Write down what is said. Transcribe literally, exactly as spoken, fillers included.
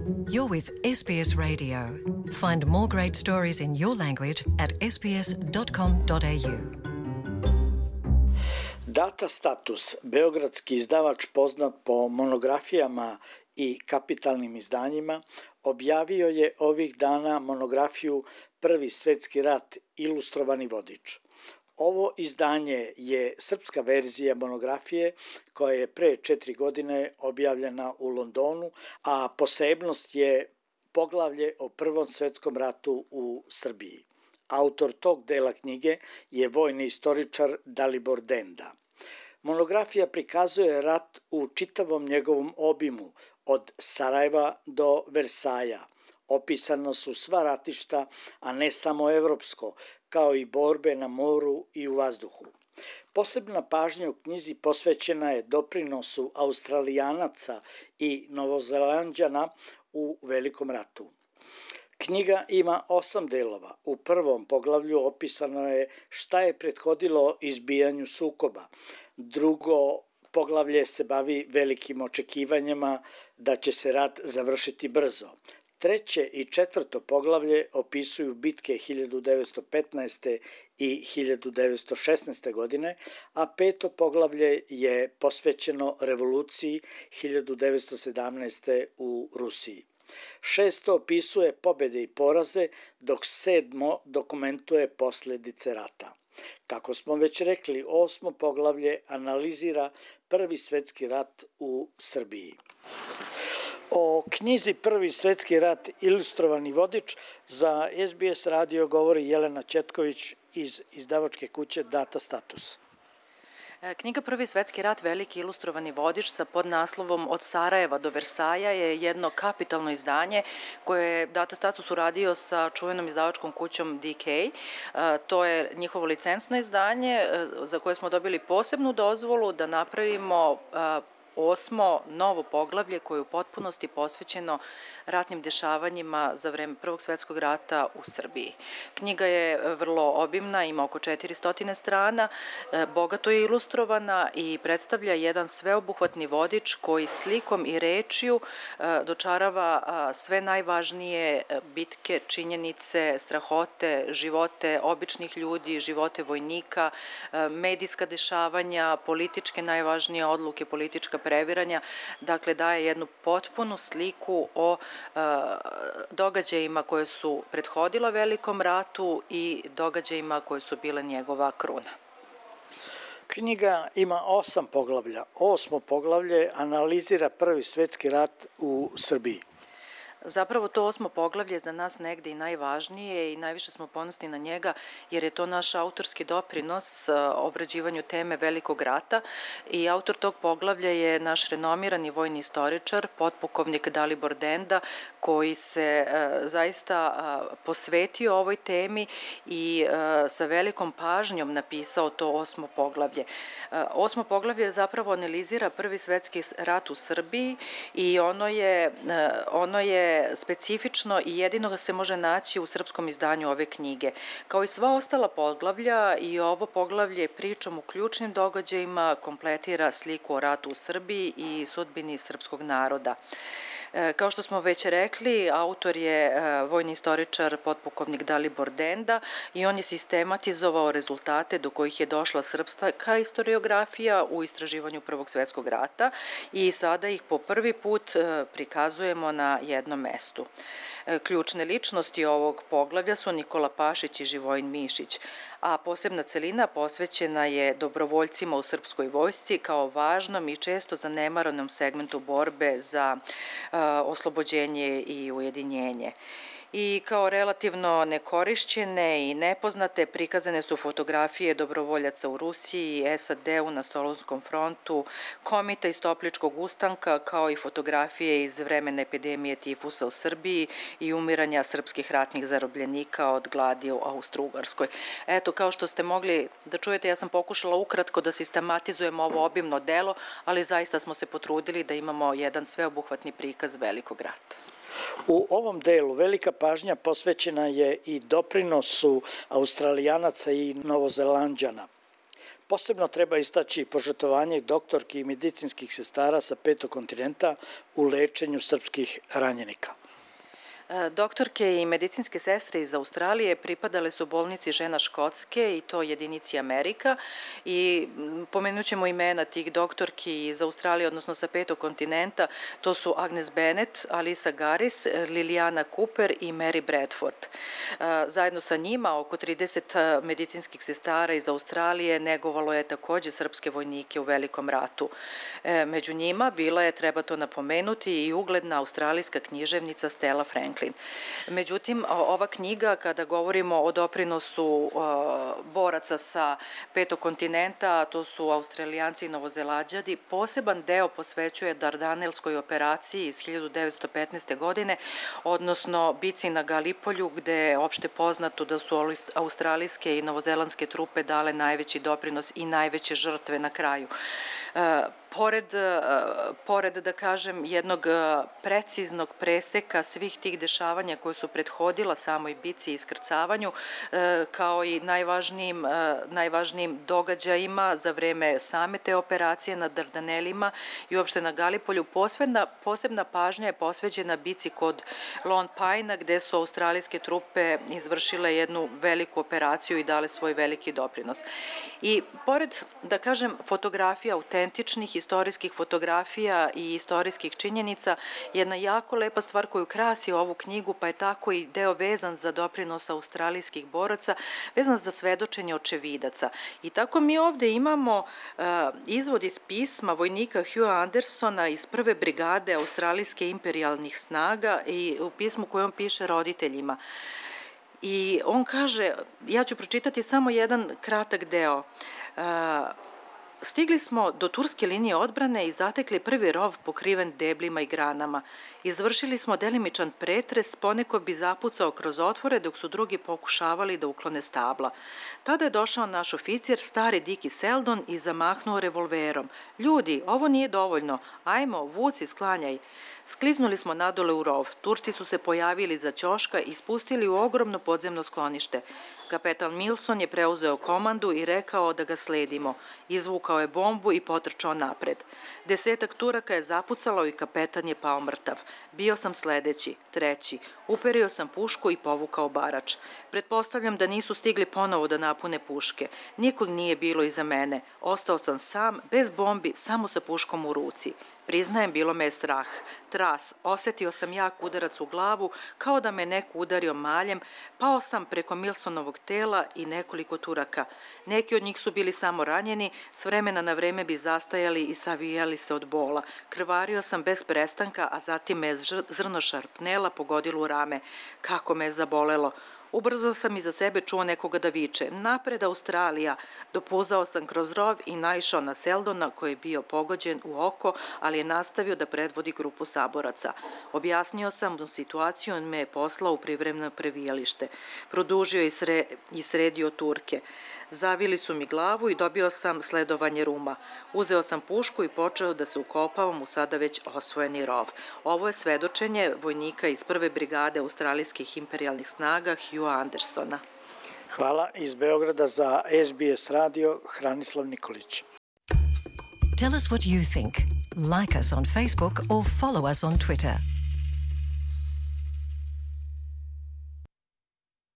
You're with S B S Radio. Find more great stories in your language at s b s dot com dot a u. Data Status, beogradski izdavač poznat po monografijama i kapitalnim izdanjima, objavio je ovih dana monografiju Prvi svetski rat, ilustrovani vodič. Ovo izdanje je srpska verzija monografije koja je pre četiri godine objavljena u Londonu, a posebnost je poglavlje o Prvom svetskom ratu u Srbiji. Autor tog dela knjige je vojni istoričar Dalibor Denda. Monografija prikazuje rat u čitavom njegovom obimu, od Sarajeva do Versaja. Opisana su sva ratišta, a ne samo evropsko, kao i borbe na moru i u vazduhu. Posebna pažnja u knjizi posvećena je doprinosu Australijanaca i Novozelanđana u Velikom ratu. Knjiga ima osam delova. U prvom poglavlju opisano je šta je prethodilo izbijanju sukoba. Drugo poglavlje se bavi velikim očekivanjima da će se rat završiti brzo. Treće i četvrto poglavlje opisuju bitke hiljadu devetsto petnaeste. i hiljadu devetsto šesnaeste. godine, a peto poglavlje je posvećeno revoluciji hiljadu devetsto sedamnaeste. u Rusiji. Šesto opisuje pobjede i poraze, dok sedmo dokumentuje posljedice rata. Kako smo već rekli, osmo poglavlje analizira Prvi svetski rat u Srbiji. O knjizi Prvi svetski rat, ilustrovani vodič, za S B S radio govori Jelena Ćetković iz izdavačke kuće Data Status. Knjiga Prvi svetski rat, veliki ilustrovani vodič sa podnaslovom Od Sarajeva do Versaja je jedno kapitalno izdanje koje je Data Status uradio sa čuvenom izdavačkom kućom D K. To je njihovo licencno izdanje za koje smo dobili posebnu dozvolu da napravimo osmo novo poglavlje koje je u potpunosti posvećeno ratnim dešavanjima za vreme Prvog svetskog rata u Srbiji. Knjiga je vrlo obimna, ima oko četiristo strana, bogato je ilustrovana i predstavlja jedan sveobuhvatni vodič koji slikom i rečju dočarava sve najvažnije bitke, činjenice, strahote, živote običnih ljudi, živote vojnika, medijska dešavanja, političke najvažnije odluke, politička previranja, dakle daje jednu potpunu sliku o e, događajima koje su prethodila Velikom ratu i događajima koje su bile njegova kruna. Knjiga ima osam poglavlja. Osmo poglavlje analizira Prvi svetski rat u Srbiji. Zapravo to osmo poglavlje za nas negde i najvažnije i najviše smo ponosni na njega jer je to naš autorski doprinos obrađivanju teme Velikog rata i autor tog poglavlja je naš renomirani vojni istoričar, potpukovnik Dalibor Denda, koji se zaista posvetio ovoj temi i sa velikom pažnjom napisao to osmo poglavlje. Osmo poglavlje zapravo analizira Prvi svetski rat u Srbiji i ono je, ono je specifično i jedino ga se može naći u srpskom izdanju ove knjige. Kao i sva ostala poglavlja, i ovo poglavlje pričom u ključnim događajima kompletira sliku o ratu u Srbiji i sudbini srpskog naroda. Kao što smo već rekli, autor je vojni istoričar potpukovnik Dalibor Denda i on je sistematizovao rezultate do kojih je došla srpska historiografija u istraživanju Prvog svetskog rata i sada ih po prvi put prikazujemo na jednom mestu. Ključne ličnosti ovog poglavlja su Nikola Pašić i Živojin Mišić, a posebna celina posvećena je dobrovoljcima u srpskoj vojsci kao važnom i često zanemaranom segmentu borbe za uh, oslobođenje i ujedinjenje. I kao relativno nekorišćene i nepoznate prikazane su fotografije dobrovoljaca u Rusiji, S A D-u na Solunskom frontu, komita iz Topličkog ustanka, kao i fotografije iz vremena epidemije tifusa u Srbiji i umiranja srpskih ratnih zarobljenika od gladi u Austro-Ugarskoj. Eto, kao što ste mogli da čujete, ja sam pokušala ukratko da sistematizujem ovo obimno delo, ali zaista smo se potrudili da imamo jedan sveobuhvatni prikaz Velikog rata. U ovom delu velika pažnja posvećena je i doprinosu Australijanaca i Novozelanđana. Posebno treba istaći požrtvovanje doktorki i medicinskih sestara sa petog kontinenta u lečenju srpskih ranjenika. Doktorke i medicinske sestre iz Australije pripadale su bolnici Žena Škotske i to jedinici Amerika i pomenut ćemo imena tih doktorki iz Australije, odnosno sa petog kontinenta, to su Agnes Bennett, Alisa Garis, Liliana Cooper i Mary Bradford. Zajedno sa njima oko trideset medicinskih sestara iz Australije negovalo je takođe srpske vojnike u Velikom ratu. Među njima bila je, treba to napomenuti, i ugledna australijska književnica Stella Franklin. Međutim, ova knjiga, kada govorimo o doprinosu boraca sa petog kontinenta, to su Australijanci i Novozelanđani, poseban deo posvećuje Dardanelskoj operaciji iz hiljadu devetsto petnaeste. godine, odnosno bici na Galipolju, gde je opšte poznato da su australijske i novozelandske trupe dale najveći doprinos i najveće žrtve na kraju. Pored, pored, da kažem, jednog preciznog preseka svih tih dešavanja koje su prethodila samoj bici i iskrcavanju, kao i najvažnijim, najvažnijim događajima za vreme same te operacije na Dardanelima i uopšte na Galipolju, posebna, posebna pažnja je posvećena bici kod Lone Pine-a, gde su australijske trupe izvršile jednu veliku operaciju i dale svoj veliki doprinos. I pored, da kažem, fotografija, autentičnih istorijskih fotografija i istorijskih činjenica, jedna jako lepa stvar koju krasi ovu knjigu, pa je tako i deo vezan za doprinos australijskih boraca, vezan za svedočenje očevidaca. I tako mi ovde imamo uh, izvod iz pisma vojnika Hugha Andersona iz prve brigade australijske imperijalnih snaga i u pismu koje on piše roditeljima. I on kaže, ja ću pročitati samo jedan kratak deo. Uh, Stigli smo do turske linije odbrane i zatekli prvi rov pokriven deblima i granama. Izvršili smo delimičan pretres, poneko bi zapucao kroz otvore dok su drugi pokušavali da uklone stabla. Tada je došao naš oficir, stari Diki Seldon, i zamahnuo revolverom. Ljudi, ovo nije dovoljno, ajmo, vuci, sklanjaj. Skliznuli smo nadole u rov. Turci su se pojavili za ćoška i spustili u ogromno podzemno sklonište. Kapetan Milson je preuzeo komandu i rekao da ga sledimo. Izvukao je bombu i potrčao napred. Desetak Turaka je zapucalo i kapetan je pao mrtav. Bio sam sledeći, treći. Uperio sam pušku i povukao barač. Pretpostavljam da nisu stigli ponovo da napune puške. Nikog nije bilo iza mene. Ostao sam sam, bez bombi, samo sa puškom u ruci. Priznajem, bilo me je strah. Tras, osetio sam jak udarac u glavu, kao da me neko udario maljem, pao sam preko Milsonovog tela i nekoliko Turaka. Neki od njih su bili samo ranjeni, s vremena na vreme bi zastajali i savijali se od bola. Krvario sam bez prestanka, a zatim me je zrno šarpnela pogodilo u rame. Kako me je zabolelo. Ubrzo sam iza sebe čuo nekoga da viče, napred Australija. Dopuzao sam kroz rov i naišao na Seldona koji je bio pogođen u oko, ali je nastavio da predvodi grupu saboraca. Objasnio sam mu situaciju, on me je poslao u privremeno previjalište. Produžio i, sre, i sredio Turke. Zavili su mi glavu i dobio sam sledovanje ruma. Uzeo sam pušku i počeo da se ukopavam u sada već osvojeni rov. Ovo je svedočenje vojnika iz prve brigade australijskih imperijalnih snaga Hugha Andersona. Hvala. Iz Beograda za S B S radio Hranislav Nikolić. Tell us what you think. Like us on Facebook or follow us on Twitter.